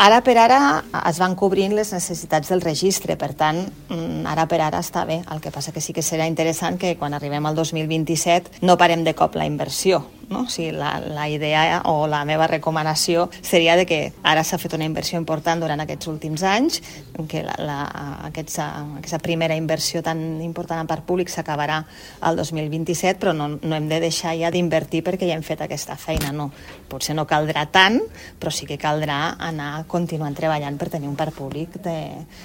Ara per ara es van cobrint les necessitats del registre, per tant, ara per ara està bé. El que passa que sí que serà interessant que quan arribem al 2027 no parem de cop la inversió, no? O sigui, la idea o la meva recomanació seria de que ara s'ha fet una inversió important durant aquests últims anys, que aquesta primera inversió tan important en parc públic s'acabarà al 2027, però no hem de deixar ja d'invertir perquè ja hem fet aquesta feina, no. Potser no caldrà tant, però sí que caldrà anar continuant treballant per tenir un parc públic